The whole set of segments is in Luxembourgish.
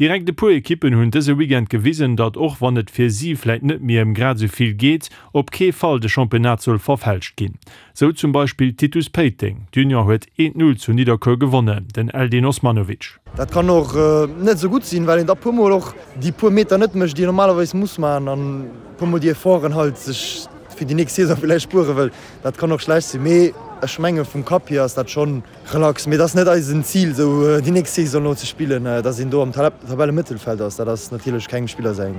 Direkt e puer Ekippen hunn dëse Weekend gewisen, datt och wann et fir si vläit net méi ëm grad esou vill geet, op kee Fall de Championnat soll verfälscht ginn. Sou zum Beispill Titus Péiteng. D'Union huet 1, 0 zu Nidderkuer gewonnen, den Eldin Osmanovic. Dat kann och net esou gutt sinn, well een da puer mol och déi puer Meter net mécht, déi een normalerweis muss maachen an puer mol déi Efforten halt sech fir déi nächst Saison villäicht spuere wëll. Dat kann och schlecht sinn, mee ech menge vum Kapp hier ass dat schonn Relax, mee et ass net eisen Zil esou déi nächst Saison elo ze spillen, dass een do am Tabellemëttelfeld ass, dat ass natierlech kengem Spiller säin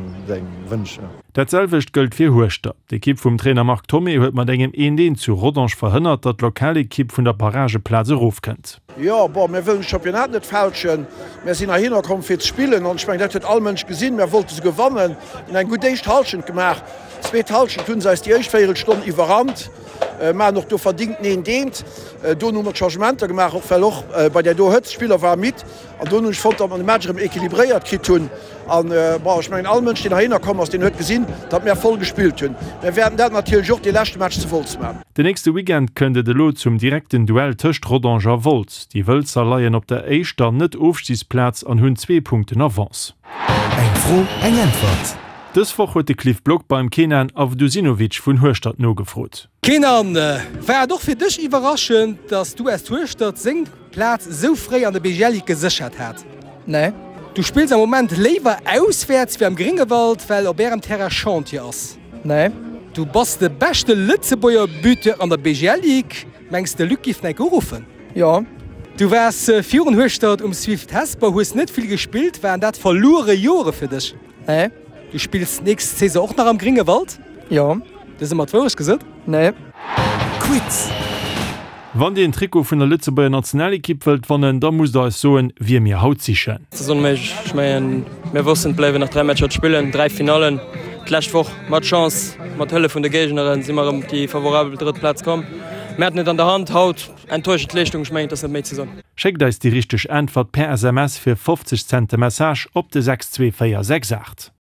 Wënsch. Dat selwecht gëllt fir Hueschtert. D'Ekipp vum Trainer Marc Thomé huet mat engem 1, 1 zu Rodange verhënnert, datt d'Lokalekipp vun der Barrageplaz erofkënnt. Jo, bon, mir wëllen de Championnat net fälschen. Mär sinn heihinner komm fir ze spillen an ech mengen dat huet all Mënsch gesinn. Mär wollte se gewannen, hunn eng gutt éischt Hallschent gemaach. Zweet Hallschent hunn se eis déi éischt Véierelstonn iwwerrannt. Maachen och do verdingt neen deent. Dono hu mer d'Changementer gemaach, och well och bei där do Hëtzt d'Spiller ware midd. An dono hunn ech fonnt, datt mer de Match erëm equilibréiert kritt hunn. An, bon, ech mengen all Mënsch, deen heihinner komm ass, deen huet gesinn, datt mär voll gespillt hunn. Mär wäerten dat natierlech och dee leschte Match zu Wolz maachen. Den nächste Weekend kënnt et elo zum direkten Duell tëscht Rodange a Wolz. Déi Wëlzer leien op der éischter Net-Ofstigsplaz an hunn zwee Punkten Avance. Eng Fro, eng Äntwert! Dës Woch huet de Cliff Block beim Kenan Avdusinovic vun Hueschtert nogefrot. Kenan, war et och fir dech iwwerraschend, dass d'US Hueschtert seng Plaz esou fréi an der BGL Ligue geséchert hat? Nee. Du spills am Moment léiwer auswäerts wéi am Gréngewald, well op ärem Terrain Chantier ass? Nee. Du bass de beschte Lëtzebuerger Buteur an der BGL Ligue. Mengs de Luc giff enk uruffen? Jo. Du waars virun Hueschtert um Swift Hesper, hues net vill gespillt. Waren dat verluere Jore fir dech? Nee. Du spills d'nächst Saison och nach am Gréngewald? Jo. Du hues ëmmer d'Wourecht gesot? Nee. Quiz. Wann dir en Trikot vun der Lëtzebuerger Nationalekipp wëllt wannen, da musst der eis soen, wie mir haut sichen. Et ass onméiglech. Ech mengen, mir wossten, et bléiwen nach 3 Matcher ze spillen, 3 Finallen. D'lescht Woch mat Chance, mat Hëllef vun de Géigneren, si mer erëm op déi favorabel drëtt Plaz komm. Mir haten et an der Hand. Haut enttäuschend Leeschtung. Ech mengen, et ass net méi ze soen. Schéckt eis déi richteg Äntwert per SMS fir 50 Cent de Message op de 62468.